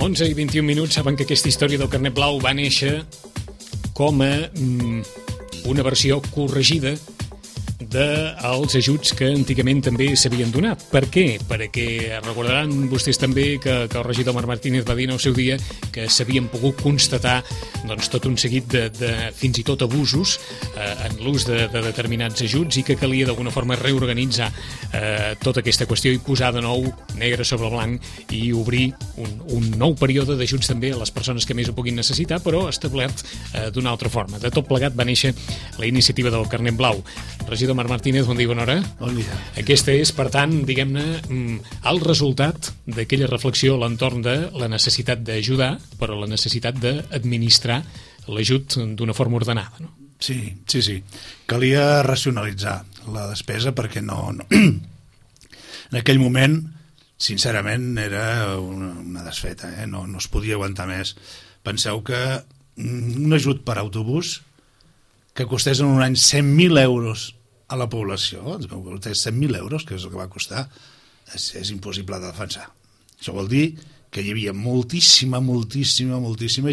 11:21. Saben que aquesta història del carnet blau va néixer com a una versió corregida dels ajuts que antigament també s'havien donat. Per què? Perquè recordaran vostès també que el regidor Marc Martínez va dir en el seu dia que s'havien pogut constatar tot un seguit de fins i tot abusos en l'ús de determinats ajuts i que calia d'alguna forma reorganitzar tota aquesta qüestió i posar de nou negre sobre blanc i obrir un nou període d'ajuts també a les persones que més ho puguin necessitar, però establert d'una altra forma. De tot plegat va néixer la iniciativa del carnet blau. Regidor Marc Martínez, bon dia, bona hora. Bon dia. Aquesta és, per tant, diguem-ne, el resultat d'aquella reflexió a l'entorn de la necessitat d'ajudar, però la necessitat d'administrar l'ajut d'una forma ordenada, no? Sí. Calia racionalitzar la despesa perquè no... En aquell moment, sincerament, era una desfeta, no es podia aguantar més. Penseu que un ajut per autobús que costés en un any 100.000 euros a la població, 100.000 euros, que és el que va costar, és impossible de defensar. Això vol dir que hi havia moltíssima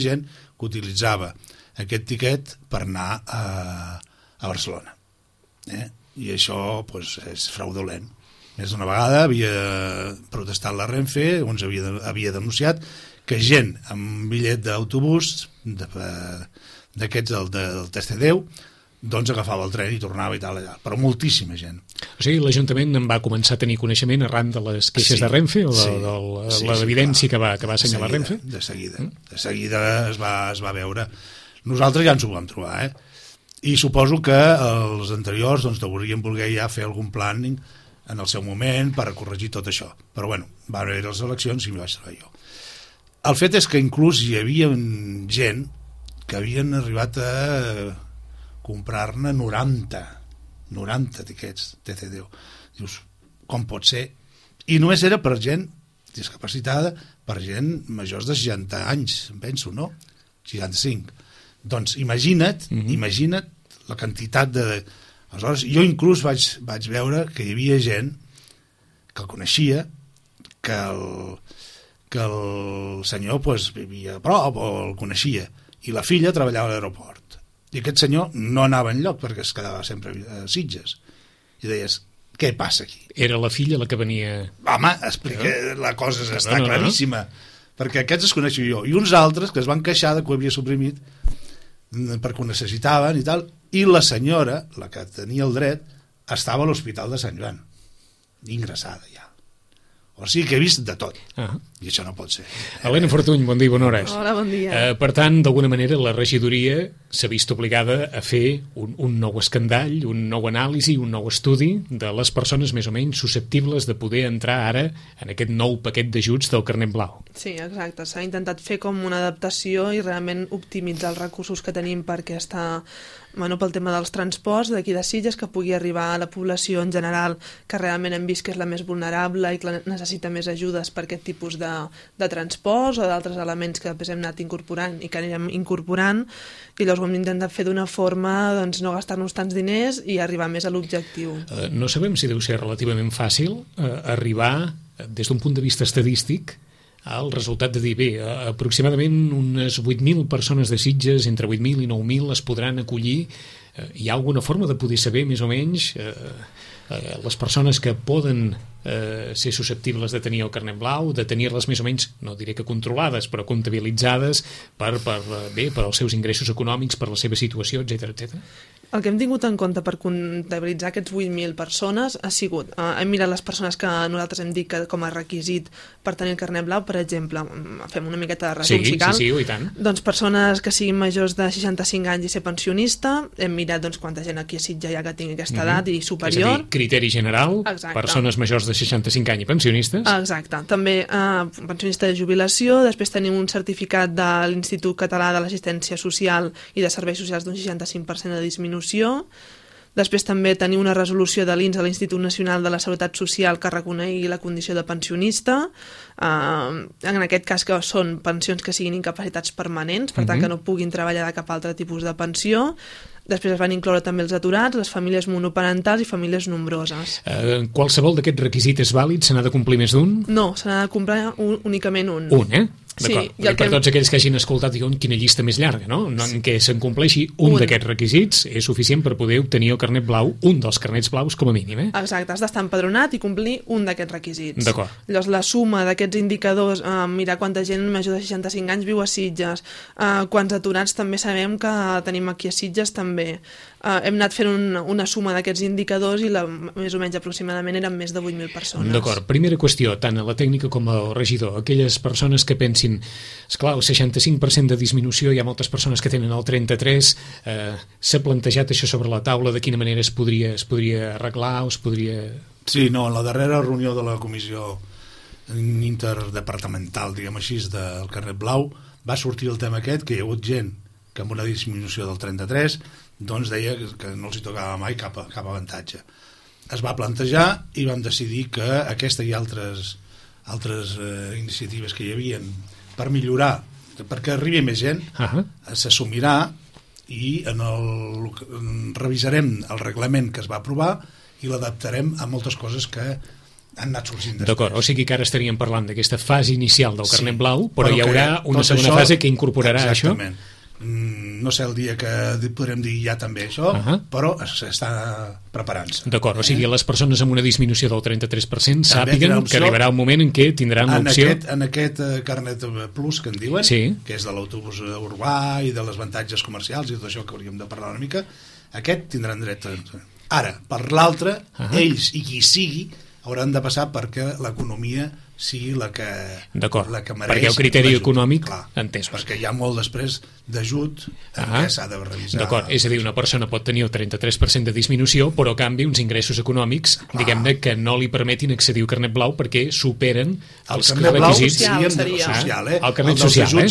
gent que utilitzava aquest tiquet per anar a Barcelona. I això és fraudulent. Més d'una vegada havia protestat la Renfe, on havia denunciat que gent amb bitllet d'autobús d'aquests del TC10 agafava el tren i tornava i tal, però moltíssima gent. O sigui, l'Ajuntament en va començar a tenir coneixement arran de les queixes de Renfe o de l'evidència que va assenyalar Renfe? De seguida es va veure. Nosaltres ja ens ho vam trobar, i suposo que els anteriors deurien voler ja fer algun planning en el seu moment per corregir tot això. Però bueno, van haver les eleccions i m'hi vaig trobar jo. El fet és que inclús hi havia gent que havien arribat a comprar-ne 90 tiquets TC10. Dius, com pot ser? I només era per gent discapacitada, per gent majors de 60 anys, penso, no? 65. Doncs imagina't la quantitat de... Aleshores, jo inclús vaig veure que hi havia gent que el coneixia, que el senyor vivia a prop o el coneixia, i la filla treballava a l'aeroport. I aquest senyor no anava enlloc perquè es quedava sempre a Sitges. I deies, què passa aquí? Era la filla la que venia... Home, explica, la cosa està claríssima. Perquè aquests es coneixo jo. I uns altres que es van queixar de que ho havia suprimit perquè ho necessitaven i tal. I la senyora, la que tenia el dret, estava a l'Hospital de Sant Joan, ingressada ja. O sigui que he vist de tot. I això no pot ser. Helena Fortuny, bon dia i bona hora. Hola, bon dia. Per tant, d'alguna manera, la regidoria s'ha vist obligada a fer un nou escandall, un nou anàlisi, un nou estudi de les persones més o menys susceptibles de poder entrar ara en aquest nou paquet d'ajuts del carnet blau. Sí, exacte. S'ha intentat fer com una adaptació i realment optimitzar els recursos que tenim perquè està... pel tema dels transports d'aquí de Sitges, que pugui arribar a la població en general que realment hem vist que és la més vulnerable i que necessita més ajudes per aquest tipus de transports o d'altres elements que després hem anat incorporant i que anirem incorporant, i llavors ho hem intentat fer d'una forma no gastar-nos tants diners i arribar més a l'objectiu. No sabem si deu ser relativament fàcil arribar des d'un punt de vista estadístic el resultat de dir, aproximadament unes 8.000 persones de Sitges, entre 8.000 i 9.000 es podran acollir. Hi ha alguna forma de poder saber més o menys les persones que poden ser susceptibles de tenir el carnet blau, de tenir-les més o menys, no diré que controlades, però comptabilitzades per als seus ingressos econòmics, per la seva situació, etc. El que hem tingut en compte per comptabilitzar aquests 8.000 persones ha sigut, hem mirat les persones que nosaltres hem dit que com a requisit per tenir el carnet blau, per exemple, fem una miqueta de resum, si cal. Sí, i tant. Doncs persones que siguin majors de 65 anys i ser pensionista, hem mirat quanta gent aquí a Sitges hi ha que tingui aquesta edat i superior. És a dir, criteri general, persones majors de 65 anys i pensionistes. Exacte. També pensionista de jubilació, després tenim un certificat de l'Institut Català de l'Assistència Social i de Serveis Socials d'un 65% de disminució. Després també tenim una resolució de l'INS, de l'Institut Nacional de la Seguretat Social, que reconegui la condició de pensionista. En aquest cas que són pensions que siguin incapacitats permanents, per tant que no puguin treballar de cap altre tipus de pensió. Després es van incloure també els aturats, les famílies monoparentals i famílies nombroses. Qualsevol d'aquests requisits és vàlid? Se n'ha de complir més d'un? No, se n'ha de complir únicament un. Un, D'acord, i per tots aquells que hagin escoltat, diuen quina llista més llarga, no? En què s'acompleixi un d'aquests requisits és suficient per poder obtenir el carnet blau, un dels carnets blaus com a mínim, Exacte, has d'estar empadronat i complir un d'aquests requisits. D'acord. Llavors, la suma d'aquests indicadors, mirar quanta gent major de 65 anys viu a Sitges, quants aturats també sabem que tenim aquí a Sitges també. Hem anat fent una suma d'aquests indicadors i més o menys aproximadament eren més de 8.000 persones. D'acord. Primera qüestió, tant a la tècnica com al regidor, aquelles persones que pensin, esclar, el 65% de disminució, hi ha moltes persones que tenen el 33%, s'ha plantejat això sobre la taula, de quina manera es podria arreglar o es podria... Sí, no, en la darrera reunió de la comissió interdepartamental, diguem així, del carnet blau, va sortir el tema aquest, que hi ha hagut gent que amb una disminució del 33 doncs deia que no els hi tocava mai cap avantatge. Es va plantejar i vam decidir que aquesta i altres iniciatives que hi havia per millorar, perquè arribi més gent, s'assumirà i revisarem el reglament que es va aprovar i l'adaptarem a moltes coses que han anat sorgint després. D'acord, o sigui que ara estaríem parlant d'aquesta fase inicial del carnet blau, però hi haurà una segona fase que incorporarà això. Exactament. No sé el dia que podrem dir ja també això, però s'està preparant-se. D'acord, o sigui, les persones amb una disminució del 33% sàpiguen que arribarà un moment en què tindran l'opció... En aquest carnet plus que en diuen, que és de l'autobús urbà i de les avantatges comercials i tot això que hauríem de parlar una mica, aquest tindran dret. Ara, per l'altre, ells i qui sigui hauran de passar perquè l'economia sigui la que mereix. Perquè el criteri econòmic, entesos. Perquè hi ha molt després d'ajut que s'ha de revisar. D'acord, és a dir, una persona pot tenir el 33% de disminució, però a canvi uns ingressos econòmics, diguem-ne, que no li permetin accedir al carnet blau perquè superen els requisits. El carnet social,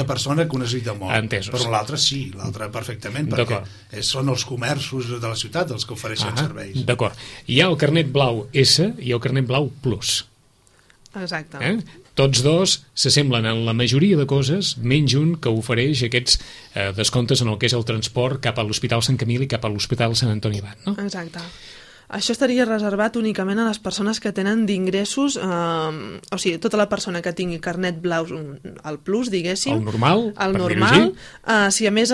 de persona que ho necessita molt. Entesos. Però l'altre sí, l'altre perfectament, perquè són els comerços de la ciutat els que ofereixen serveis. D'acord. Hi ha el carnet blau S i el carnet blau plus. Exacte. Tots dos s'assemblen en la majoria de coses, menys un que ofereix aquests descomptes en el que és el transport cap a l'Hospital Sant Camil i cap a l'Hospital Sant Antoni Abat, no? Exacte. Això estaria reservat únicament a les persones que tenen d'ingressos, o sigui, tota la persona que tingui carnet blau, el plus, diguéssim. El normal, si a més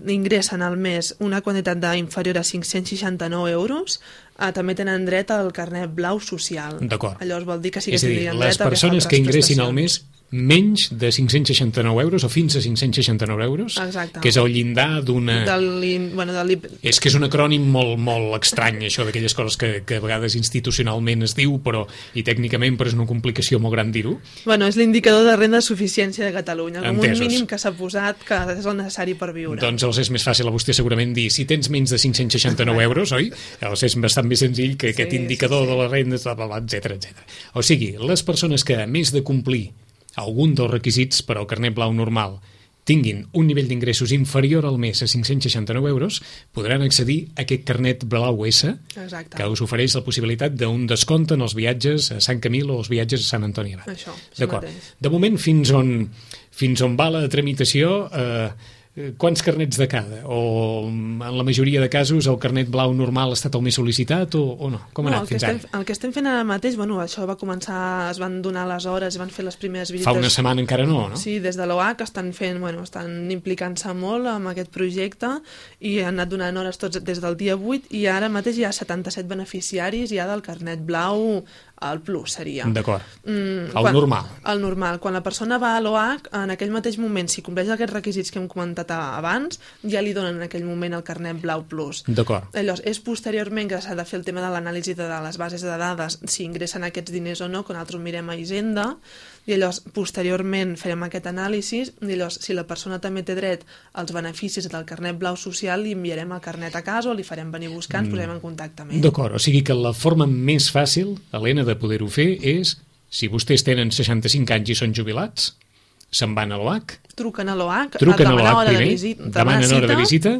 ingressen al mes una quantitat inferior a 569 euros, també tenen dret al carnet blau social. D'acord. Llavors vol dir que sí que tindrien les dret a persones que ingressin al mes menys de 569 euros o fins a 569 euros, que és el llindar d'una... És que és un acrònim molt estrany, això d'aquelles coses que a vegades institucionalment es diu, i tècnicament però és una complicació molt gran dir-ho. És l'indicador de renda de suficiència de Catalunya, com un mínim que s'ha posat que és el necessari per viure. Doncs els és més fàcil a vostè segurament dir, si tens menys de 569 euros, oi? Els és bastant més senzill que aquest indicador de la renda, etc. O sigui, les persones que, a més de complir algun dels requisits per al carnet blau normal tinguin un nivell d'ingressos inferior al mes a 569 euros, podran accedir a aquest carnet blau S, que us ofereix la possibilitat d'un descompte en els viatges a Sant Camil o els viatges a Sant Antoni Abat. D'acord. De moment, fins on va la tramitació, quants carnets de cada? O en la majoria de casos el carnet blau normal ha estat el més sol·licitat o no? Com ha anat fins ara? El que estem fent ara mateix, això va començar, es van donar les hores i van fer les primeres visites. Fa una setmana encara no? Sí, des de l'OAC estan implicant-se molt amb aquest projecte i han anat donant hores tots des del dia 8 i ara mateix hi ha 77 beneficiaris ja del carnet blau. El plus seria. D'acord. Normal. El normal. Quan la persona va a l'OAC, en aquell mateix moment, si compleix aquests requisits que hem comentat abans, ja li donen en aquell moment el carnet blau plus. D'acord. Llavors, és posteriorment que s'ha de fer el tema de l'anàlisi de les bases de dades, si ingressen aquests diners o no, que nosaltres mirem a Hisenda, i llavors, posteriorment, farem aquest anàlisi, i llavors, si la persona també té dret als beneficis del carnet blau social, li enviarem el carnet a casa o li farem venir a buscar, ens posarem en contacte amb ell. D'acord, o sigui que la forma més fàcil, Helena, de poder-ho fer és, si vostès tenen 65 anys i són jubilats, se'n van a l'OAC, truquen a l'OAC, demanen hora de visita,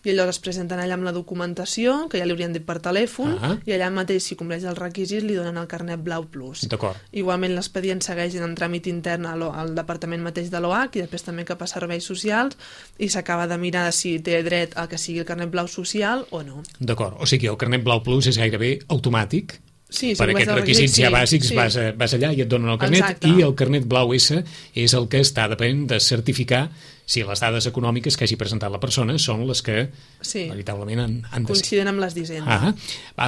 i llavors es presenten allà amb la documentació, que ja li haurien dit per telèfon, i allà mateix, si compleix els requisits, li donen el carnet blau plus. D'acord. Igualment, l'expedient segueix en tràmit intern al departament mateix de l'OAC i després també cap a serveis socials i s'acaba de mirar si té dret a que sigui el carnet blau social o no. D'acord, o sigui, el carnet blau plus és gairebé automàtic. Sí, per aquests requisits ja bàsics vas allà i et donen el carnet. Exacte. I el carnet blau S és el que està depenent de certificar si les dades econòmiques que hagi presentat la persona són les que veritablement han de ser. Coincident amb les d'Hisenda.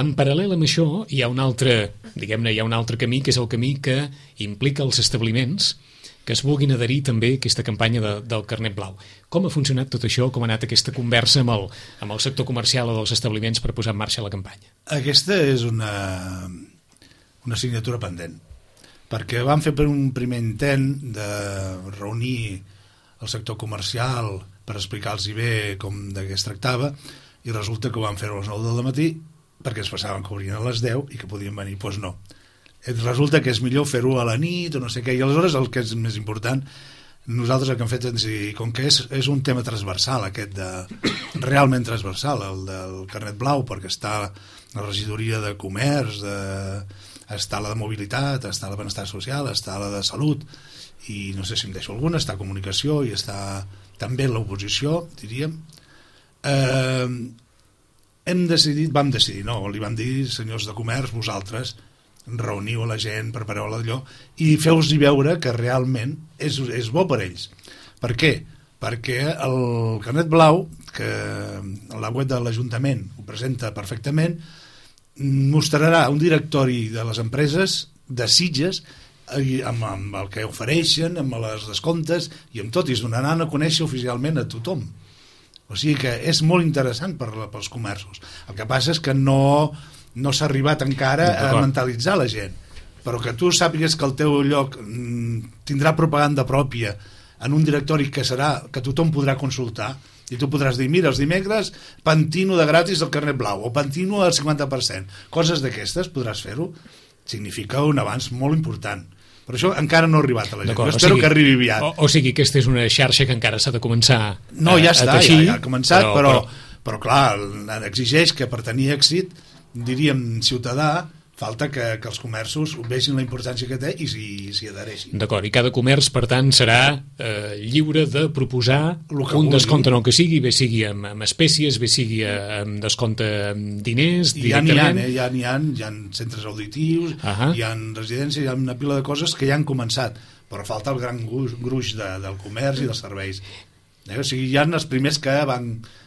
En paral·lel amb això hi ha un altre, diguem-ne, hi ha un altre camí, que és el camí que implica els establiments que es vulguin adherir també a aquesta campanya del carnet blau. Com ha funcionat tot això? Com ha anat aquesta conversa amb el sector comercial o dels establiments per posar en marxa la campanya? Aquesta és una assignatura pendent, perquè vam fer per un primer intent de reunir el sector comercial per explicar-los bé com de què es tractava, i resulta que ho vam fer a les 9 del matí perquè es passaven que obrien a les 10 i que podien venir. Doncs no. Resulta que és millor fer-ho a la nit o no sé què, i aleshores el que és més important, nosaltres el que hem fet és dir, com que és un tema transversal aquest realment transversal, el del carnet blau, perquè està la regidoria de comerç, està la de mobilitat, està la de benestar social, està la de salut, i no sé si em deixo alguna, està comunicació i està també l'oposició, diríem. Vam decidir, li vam dir, senyors de comerç, vosaltres reuniu a la gent, prepareu-la d'allò i feu-los veure que realment és bo per ells. Per què? Perquè el carnet blau, que la web de l'Ajuntament ho presenta perfectament, mostrarà un directori de les empreses de Sitges amb el que ofereixen, amb els descomptes i amb tot, i es donaran a conèixer oficialment a tothom. O sigui que és molt interessant pels comerços. El que passa és que no s'ha arribat encara a mentalitzar la gent, però que tu sàpigues que el teu lloc tindrà propaganda pròpia en un directori que tothom podrà consultar, i tu podràs dir, mira, els dimecres pantino de gratis el carnet blau, o pantino al 50%, coses d'aquestes podràs fer-ho, significa un avanç molt important. Però això encara no ha arribat a la gent. Jo espero que arribi aviat. O sigui, aquesta és una xarxa que encara s'ha de començar a teixir. No, ja està, ja ha començat, però clar, exigeix que per tenir èxit, diríem, ciutadà, falta que els comerços vegin la importància que té i s'hi adhereixin. D'acord, i cada comerç, per tant, serà lliure de proposar un descompte en el que sigui, bé sigui amb espècies, bé sigui amb descompte amb diners, directament. Hi ha centres auditius, hi ha residències, hi ha una pila de coses que ja han començat, però falta el gran gruix del comerç i dels serveis. O sigui, hi ha els primers que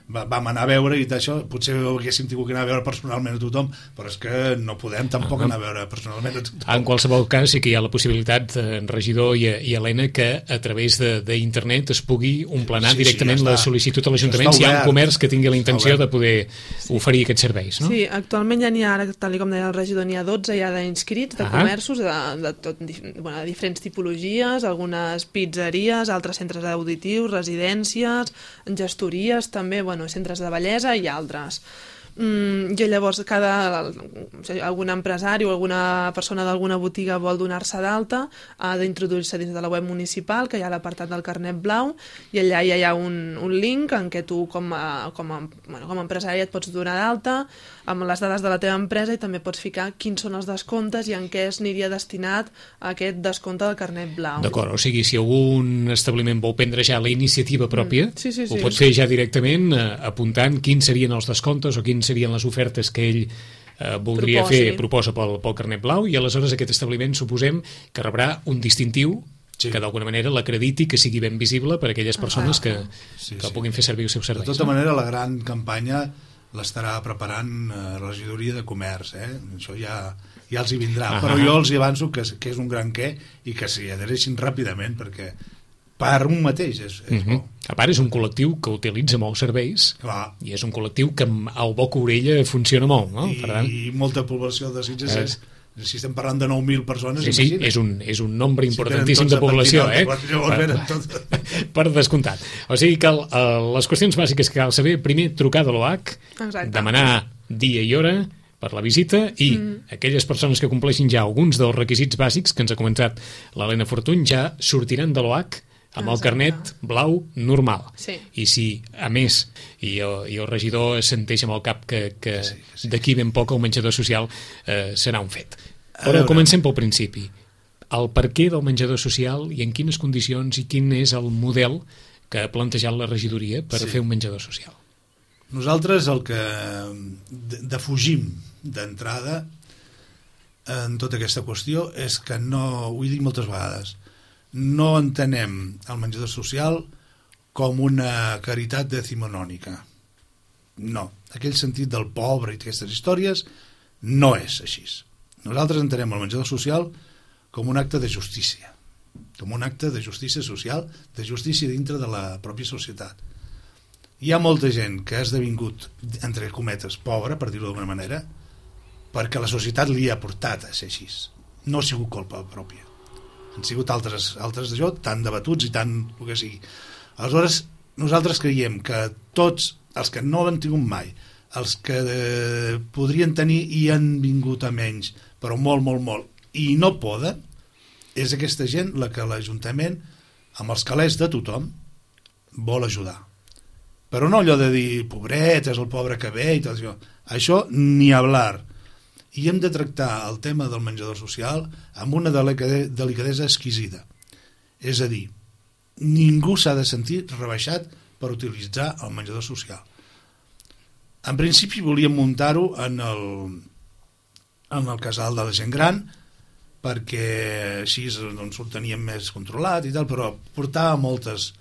vam anar a veure, i d'això potser haguéssim tingut que anar a veure personalment a tothom, però és que no podem tampoc anar a veure personalment a tothom. En qualsevol cas sí que hi ha la possibilitat, regidor i Helena, que a través d'internet es pugui omplenar directament la sol·licitud a l'Ajuntament si hi ha un comerç que tingui la intenció de poder oferir aquests serveis, no? Sí, actualment ja n'hi ha, tal com deia el regidor, n'hi ha 12 ja d'inscrits de comerços de diferents tipologies, algunes pizzeries, altres centres auditius, residències, gestories també, centres de bellesa i altres. I llavors algun empresari o alguna persona d'alguna botiga vol donar-se d'alta, ha d'introduir-se dins de la web municipal, que hi ha l'apartat del carnet blau, i allà ja hi ha un link en què tu com a empresari et pots donar d'alta amb les dades de la teva empresa, i també pots ficar quins són els descomptes i en què es aniria destinat aquest descompte del carnet blau. D'acord, o sigui, si algun establiment vol prendre ja la iniciativa pròpia, ho pot fer ja directament apuntant quins serien els descomptes o quins serien les ofertes que ell proposa pel carnet blau, i aleshores aquest establiment suposem que rebrà un distintiu que d'alguna manera l'acrediti, que sigui ben visible per a aquelles persones que puguin fer servir els seus serveis. De tota manera, la gran campanya l'estarà preparant la regidoria de comerç, això ja els hi vindrà, però jo els hi avanço que és un gran què, i que s'hi adhereixin ràpidament, perquè per un mateix és bo. A part, és un col·lectiu que utilitza molts serveis. Clar. I és un col·lectiu que al boca orella funciona molt, no? I molta població de Sitges si estem parlant de 9.000 persones, sí, és un nombre importantíssim de població, per descomptat. O sigui que les qüestions bàsiques que cal saber, primer trucar de l'OH, demanar dia i hora per la visita, i aquelles persones que compleixin ja alguns dels requisits bàsics que ens ha comentat l'Helena Fortuny ja sortiran de l'OH amb el carnet blau normal. I si, a més, i el regidor senteix amb el cap que d'aquí ben poc el menjador social serà un fet. Però comencem pel principi. El perquè del menjador social i en quines condicions i quin és el model que ha plantejat la regidoria per fer un menjador social. Nosaltres el que defugim d'entrada en tota aquesta qüestió és que no, ho he dit moltes vegades, no entenem el menjador social com una caritat decimonònica. No, aquell sentit del pobre i aquestes històries no és així. Nosaltres entenem el menjador social com un acte de justícia, com un acte de justícia social, de justícia dintre de la pròpia societat. Hi ha molta gent que ha esdevingut, entre cometes, pobra, per dir-ho d'alguna manera, perquè la societat li ha portat a ser així. No ha sigut culpa pròpia. Han sigut altres d'això, tan debatuts i tant el que sigui. Aleshores, nosaltres creiem que tots els que no han tingut mai, els que podrien tenir i han vingut a menys, però molt, molt, molt, i no poden, és aquesta gent la que l'Ajuntament, amb els calés de tothom, vol ajudar. Però no allò de dir, pobret, és el pobre que ve i tot això. Això ni hablar. I hem de tractar el tema del menjador social amb una delicadesa exquisida. És a dir, ningú s'ha de sentir rebaixat per utilitzar el menjador social. En principi volíem muntar-ho en el casal de la gent gran, perquè així doncs, ho teníem més controlat i tal, però portava moltes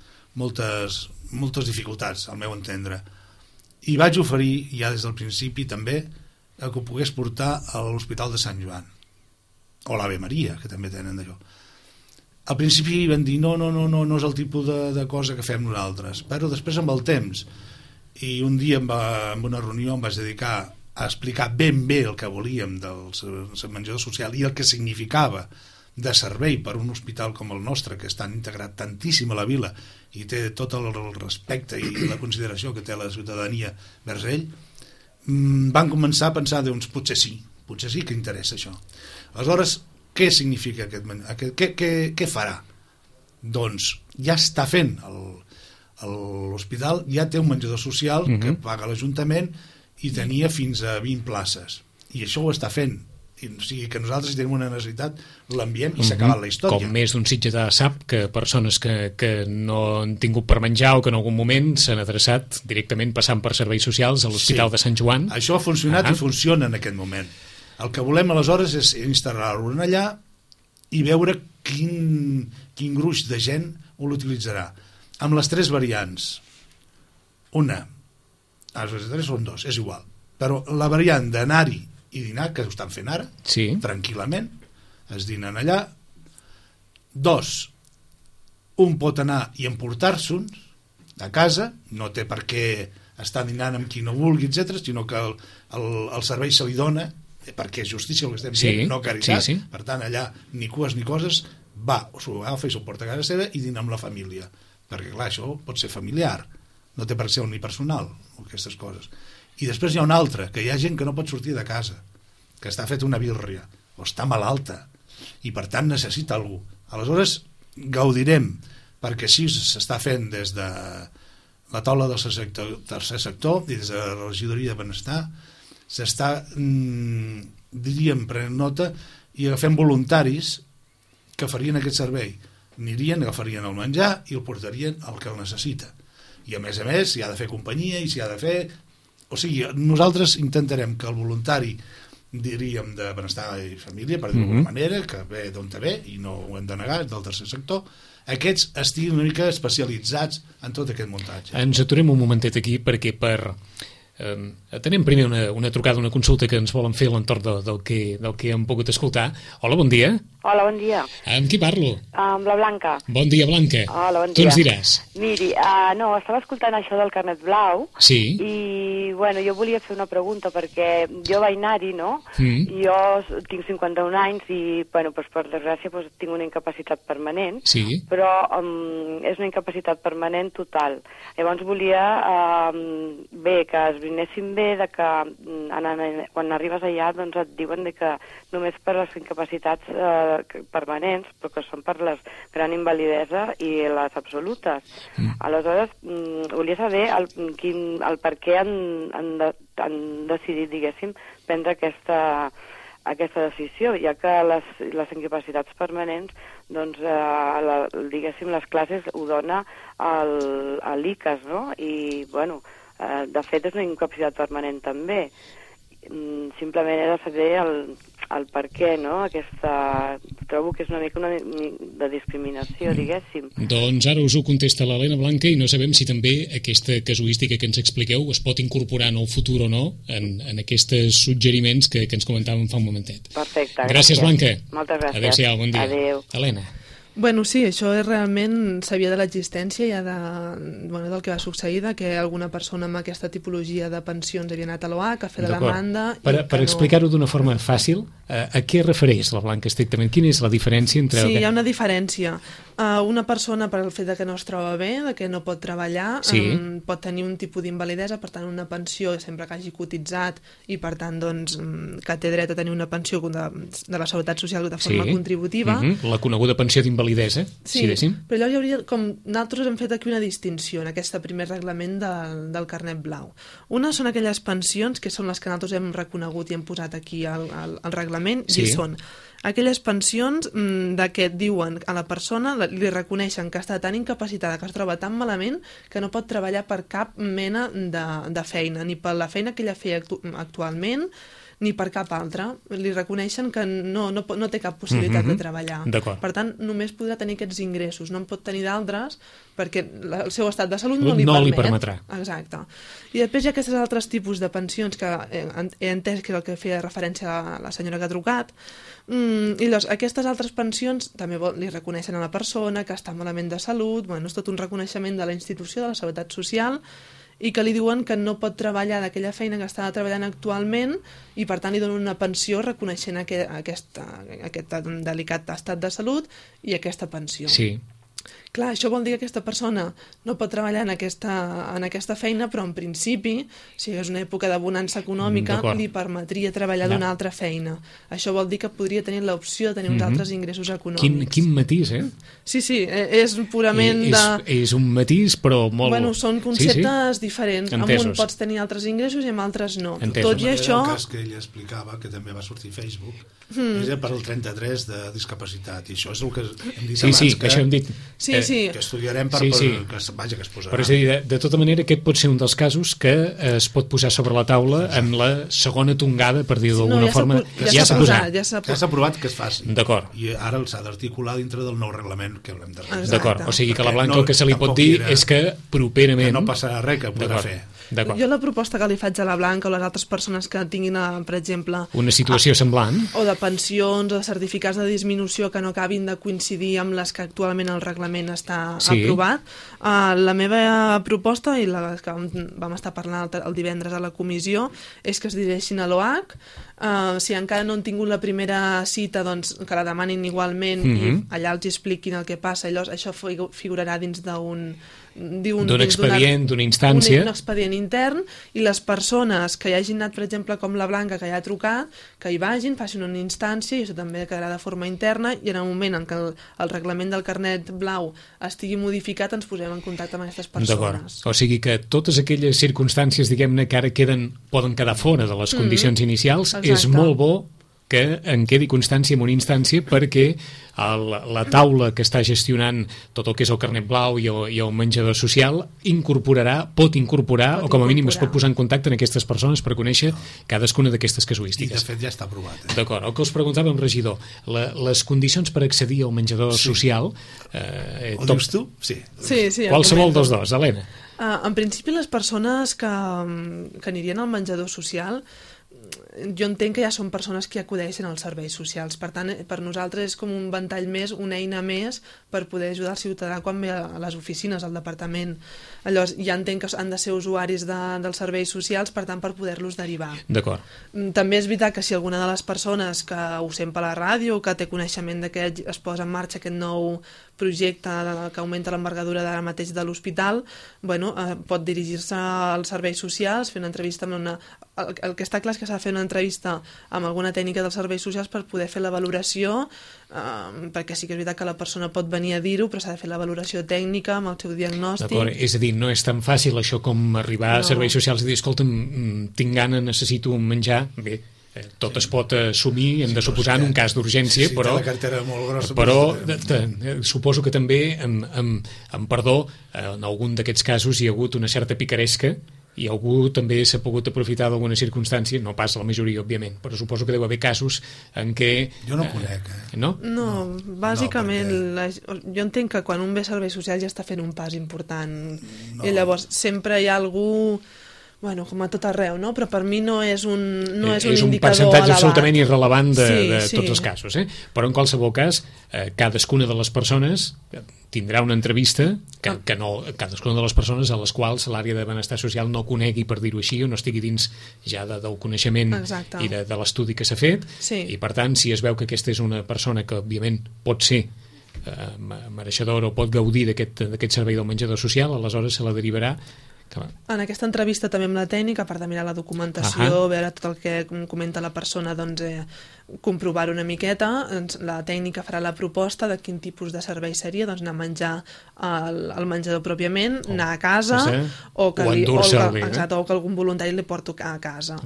dificultats, al meu entendre. I vaig oferir, ja des del principi també, que ho pogués portar a l'Hospital de Sant Joan, o l'Ave Maria, que també tenen d'allò. Al principi van dir no és el tipus de cosa que fem nosaltres, però després amb el temps, i un dia en una reunió em vaig dedicar a explicar ben bé el que volíem del menjador social i el que significava de servei per un hospital com el nostre, que està integrat tantíssim a la vila i té tot el respecte i la consideració que té la ciutadania vers ell, van començar a pensar, doncs, potser sí que interessa això. Aleshores, què significa què farà? Doncs ja està fent l'hospital, ja té un menjador social que paga l'Ajuntament i tenia fins a 20 places, i això ho està fent. O sigui que nosaltres, si tenim una necessitat, l'enviem i s'ha acabat la història. Com més d'un sitgetà sap que persones que no han tingut per menjar o que en algun moment s'han adreçat directament passant per serveis socials a l'Hospital de Sant Joan. Això ha funcionat i funciona en aquest moment. El que volem aleshores és instal·lar-ho allà i veure quin gruix de gent ho l'utilitzarà. Amb les 3 variants. Una, les 3 són 2, és igual. Però la variant d'anar-hi i dinar, que ho estan fent ara, tranquil·lament, es dinen allà. 2, un pot anar i emportar-se'n a casa, no té per què estar dinant amb qui no vulgui, etc., sinó que el servei se li dona, perquè és justícia el que estem dient, no caritat. Per tant, allà ni cues ni coses, va, s'ho agafa i s'ho porta a casa seva i dina amb la família, perquè clar, això pot ser familiar, no té per ser unipersonal, aquestes coses. I després hi ha una altra, que hi ha gent que no pot sortir de casa, que està fet una birria, o està malalta, i per tant necessita algú. Aleshores, gaudirem, perquè així s'està fent des de la taula del tercer sector i des de la regidoria de benestar, s'està, diríem, prenent nota i agafem voluntaris que farien aquest servei. Anirien, agafarien el menjar i el portarien al que el necessita. I a més, si ha de fer companyia i si ha de fer... O sigui, nosaltres intentarem que el voluntari, diríem, de benestar i família, per dir-ho d'alguna manera, que ve d'on te ve, i no ho hem de negar, del tercer sector, aquests estiguin una mica especialitzats en tot aquest muntatge. Ens aturem un momentet aquí perquè tenim primer una trucada, una consulta que ens volen fer a l'entorn del que hem pogut escoltar. Hola, bon dia. Hola, bon dia. Amb qui parlo? Amb la Blanca. Bon dia, Blanca. Hola, bon dia. Tu ens diràs. Miri, no, estava escoltant això del carnet blau. Sí. I, bueno, jo volia fer una pregunta perquè jo vaig anar-hi, no? Jo tinc 51 anys i, bueno, doncs, per desgràcia, doncs, tinc una incapacitat permanent. Sí. Però és una incapacitat permanent total. Llavors volia que es brinessin bé de que quan arribes allà doncs et diuen que només per les incapacitats permanents, però que són per la gran invalidesa i les absolutes. Aleshores, volia saber el per què han decidit, diguéssim, prendre aquesta decisió, ja que les incapacitats permanents, doncs, diguéssim, les classes ho dona a l'ICAS, no? I, bueno, de fet és una incapacitat permanent també. Simplement he de saber el per què, no? Trobo que és una mica de discriminació, diguéssim. Doncs ara us ho contesta l'Helena Blanca i no sabem si també aquesta casuística que ens expliqueu es pot incorporar en el futur o no en aquests suggeriments que ens comentàvem fa un momentet. Perfecte. Gràcies, Blanca. Moltes gràcies. Adéu-siau, bon dia. Adéu. Helena. Bueno, sí, això és realment sabia de l'existència ja del que va succeir, que alguna persona amb aquesta tipologia de pensions havia anat a l'OAC a fer de demanda... Per explicar-ho d'una forma fàcil, a què refereix la Blanca estrictament? Quina és la diferència entre... Sí, hi ha una diferència. Una persona, per el fet que no es troba bé, que no pot treballar, pot tenir un tipus d'invalidesa, per tant una pensió sempre que hagi cotitzat i per tant que té dret a tenir una pensió de la Seguretat Social de forma contributiva. La coneguda pensió d'invalidesa, si dèiem. Però llavors hi hauria, com nosaltres hem fet aquí una distinció en aquest primer reglament del carnet blau. Una són aquelles pensions que són les que nosaltres hem reconegut i hem posat aquí al reglament, i són aquelles pensions que diuen a la persona, li reconeixen que està tan incapacitada, que es troba tan malament, que no pot treballar per cap mena de feina, ni per la feina que ella feia actualment, ni per cap altra. Li reconeixen que no té cap possibilitat de treballar. Per tant, només podrà tenir aquests ingressos, no en pot tenir d'altres perquè el seu estat de salut no li permetrà. Exacte. I després hi ha aquests altres tipus de pensions que he entès que és el que feia referència a la senyora que ha trucat. I llavors, aquestes altres pensions també li reconeixen a la persona que està malament de salut, és tot un reconeixement de la institució, de la Seguretat Social, i que li diuen que no pot treballar d'aquella feina que està treballant actualment i per tant li donen una pensió reconeixent aquest delicat estat de salut i aquesta pensió. Sí. Clar, això vol dir que aquesta persona no pot treballar en aquesta feina, però en principi, si és una època de bonança econòmica, li permetria treballar d'una altra feina. Això vol dir que podria tenir l'opció de tenir uns altres ingressos econòmics. Quin matís, eh? Sí, és purament És un matís, però molt... Bueno, són conceptes diferents. Amb un pots tenir altres ingressos i amb altres no. Tot i això... El cas que ella explicava, que també va sortir a Facebook, és per al 33 de discapacitat, i això és el que hem dit abans. Sí, això hem dit... que estudiarem que es posarà. Però és a dir, de tota manera, aquest pot ser un dels casos que es pot posar sobre la taula en la segona tongada, per dir-ho d'alguna forma. Ja s'ha posat. Ja s'ha aprovat que es faci. D'acord. I ara s'ha d'articular dintre del nou reglament que haurem de revisar. D'acord, o sigui que la Blanca el que se li pot dir és que properament... Que no passarà res, que podrà fer. Jo la proposta que li faig a la Blanca o les altres persones que tinguin, per exemple... Una situació semblant. O de pensions o de certificats de disminució que no acabin de coincidir amb les que actualment el reglament està aprovat. La meva proposta, i la que vam estar parlant el divendres a la comissió, és que es dirigeixin a l'OAC. Si encara no han tingut la primera cita, doncs que la demanin igualment i allà els expliquin el que passa. Llavors això figurarà dins d'un expedient, d'una instància. Un expedient intern, i les persones que hi hagin anat, per exemple, com la Blanca, que ja ha trucat, que hi vagin, facin una instància, i això també quedarà de forma interna, i en el moment en què el reglament del carnet blau estigui modificat ens posem en contacte amb aquestes persones. D'acord. O sigui que totes aquelles circumstàncies, diguem-ne, que ara poden quedar fora de les condicions inicials, és molt bo que en quedi constància en una instància, perquè la taula que està gestionant tot el que és el carnet blau i el menjador social pot incorporar o com a mínim es pot posar en contacte amb aquestes persones per conèixer cadascuna d'aquestes casuístiques. I de fet ja està aprovat. D'acord, el que us preguntàvem, regidor, les condicions per accedir al menjador social... Ho dius tu? Sí. Qualsevol dels dos, Helena. En principi, les persones que anirien al menjador social, jo entenc que ja són persones que acudeixen als serveis socials. Per tant, per nosaltres és com un ventall més, una eina més per poder ajudar el ciutadà quan ve a les oficines, al departament. Llavors, ja entenc que han de ser usuaris dels serveis socials, per tant, per poder-los derivar. D'acord. També és veritat que si alguna de les persones que ho sent per la ràdio, que té coneixement de que es posa en marxa aquest nou projecte que augmenta l'envergadura d'ara mateix de l'hospital, pot dirigir-se als serveis socials, fer una entrevista amb el que està clar és que s'ha de fer una entrevista amb alguna tècnica dels serveis socials per poder fer la valoració, perquè sí que és veritat que la persona pot venir a dir-ho, però s'ha de fer la valoració tècnica amb el seu diagnòstic. D'acord, és a dir, no és tan fàcil això com arribar a serveis socials i dir, escolta'm, tinc gana, necessito un menjar. Bé, tot es pot assumir, hem de suposar, en un cas d'urgència, però la cartera molt grossa, suposo que també, amb perdó, en algun d'aquests casos hi ha hagut una certa picaresca i algú també s'ha pogut aprofitar d'alguna circumstància, no pas la majoria, òbviament, però suposo que deu haver casos en què... Jo no conec, No? No, bàsicament, perquè... jo entenc que quan un ve a serveis socials ja està fent un pas important. I llavors sempre hi ha algú... Bueno, com a tot arreu, no? Però per mi no és un indicador elevat. És un percentatge absolutament irrelevant de Sí. tots els casos, Però en qualsevol cas, cadascuna de les persones tindrà una entrevista cadascuna de les persones a les quals l'àrea de benestar social no conegui, per dir-ho així, o no estigui dins ja del coneixement i de l'estudi que s'ha fet, i per tant, si es veu que aquesta és una persona que, òbviament, pot ser mereixedora o pot gaudir d'aquest servei del menjador social, aleshores se la derivarà. En aquesta entrevista també amb la tècnica, a part de mirar la documentació, veure tot el que comenta la persona, doncs comprovar una miqueta, la tècnica farà la proposta de quin tipus de servei seria, doncs anar a menjar al menjador pròpiament, anar a casa o que algun voluntari li porti a casa.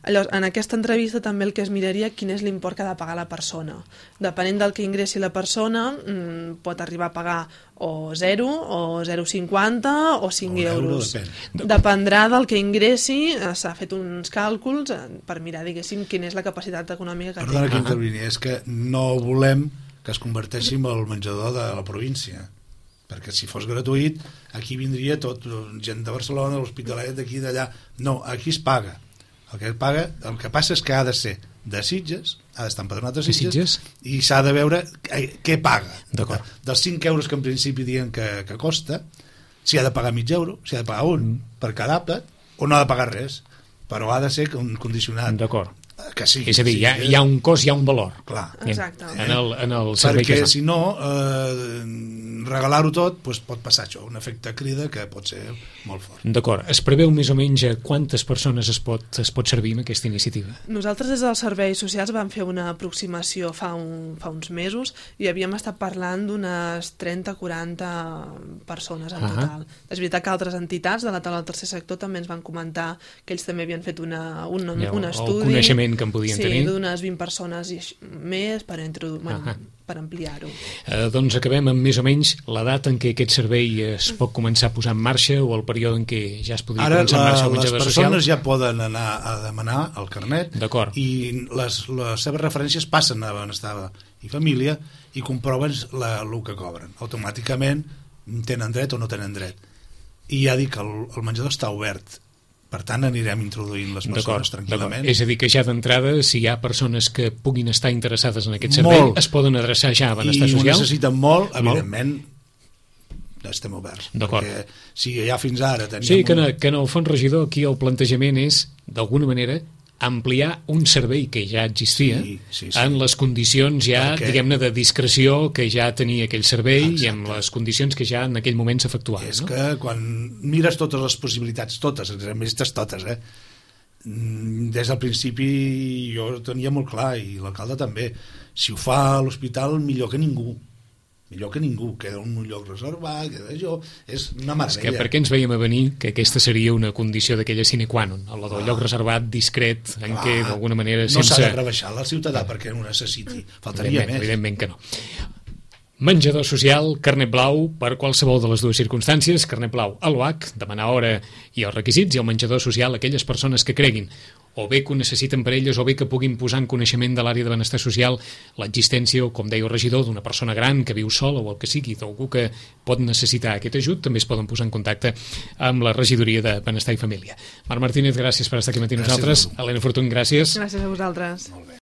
Llavors, en aquesta entrevista també el que es miraria quin és l'import que ha de pagar la persona. Depenent del que ingressi la persona, pot arribar a pagar o 0, o 0,50 o 5 euros. Dependrà del que ingressi, s'ha fet uns càlculs per mirar, diguéssim, quina és la capacitat econòmica que té. Perdona que intervini, és que no volem que es converteixi en el menjador de la província, perquè si fos gratuït, aquí vindria tot, gent de Barcelona, de l'Hospitalet, d'aquí, d'allà. No, aquí es paga. El que passa és que ha de ser de Sitges, ha d'estar empadronat de Sitges, i s'ha de veure què paga. Dels 5 euros que en principi diuen que costa, si ha de pagar mig euro, si ha de pagar un per cada àpat, o no ha de pagar res, però ha de ser condicionat. D'acord. Que sí, és a dir, hi ha un cost, hi ha un valor. Clar. Exacte. En el servei perquè si no, regalar-ho tot pot passar això, un efecte crida que pot ser molt fort. D'acord. Es preveu més o menys quantes persones es pot servir amb aquesta iniciativa? Nosaltres des dels serveis socials vam fer una aproximació fa uns mesos i havíem estat parlant d'unes 30-40 persones en total. És veritat que altres entitats de la taula del tercer sector també ens van comentar que ells també havien fet un estudi, el coneixement que en podien tenir. Sí, d'unes 20 persones i més per ampliar-ho. Doncs acabem amb més o menys la data en què aquest servei es pot començar a posar en marxa o el període en què ja es podria començar en marxa el menjador social. Ara les persones ja poden anar a demanar el carnet i les seves referències passen a Benestar i Família i comproven el que cobren. Automàticament tenen dret o no tenen dret. I ja dic que el menjador està obert. Per tant, anirem introduint les persones tranquil·lament. És a dir, que ja d'entrada, si hi ha persones que puguin estar interessades en aquest servei, es poden adreçar ja a Benestar Social? I ho necessiten molt, evidentment, estem oberts. Perquè si ja fins ara teníem... Sí, que en el fons, regidor, aquí el plantejament és, d'alguna manera, ampliar un servei que ja existia en les condicions ja, diguem-ne, de discreció que ja tenia aquell servei i amb les condicions que ja en aquell moment s'efectuaven. És que quan mires totes les possibilitats, totes, des del principi jo ho tenia molt clar i l'alcalde també, si ho fa a l'hospital millor que ningú, queda un lloc reservat, és una meravella. És que per què ens veiem a venir que aquesta seria una condició d'aquella sine qua non, la del lloc reservat, discret, en què d'alguna manera no s'ha de rebaixar la ciutadà perquè ho necessiti, faltaria més. Evidentment que no. Menjador social, carnet blau per qualsevol de les dues circumstàncies, carnet blau a l'UAC, demanar hora i els requisits, i el menjador social aquelles persones que creguin o bé que ho necessiten per elles o bé que puguin posar en coneixement de l'àrea de benestar social l'existència, com deia el regidor, d'una persona gran que viu sola o el que sigui, d'algú que pot necessitar aquest ajut, també es poden posar en contacte amb la regidoria de Benestar i Família. Marc Martínez, gràcies per estar aquí amb nosaltres. Helena Fortuny, gràcies. Gràcies a vosaltres. Molt bé.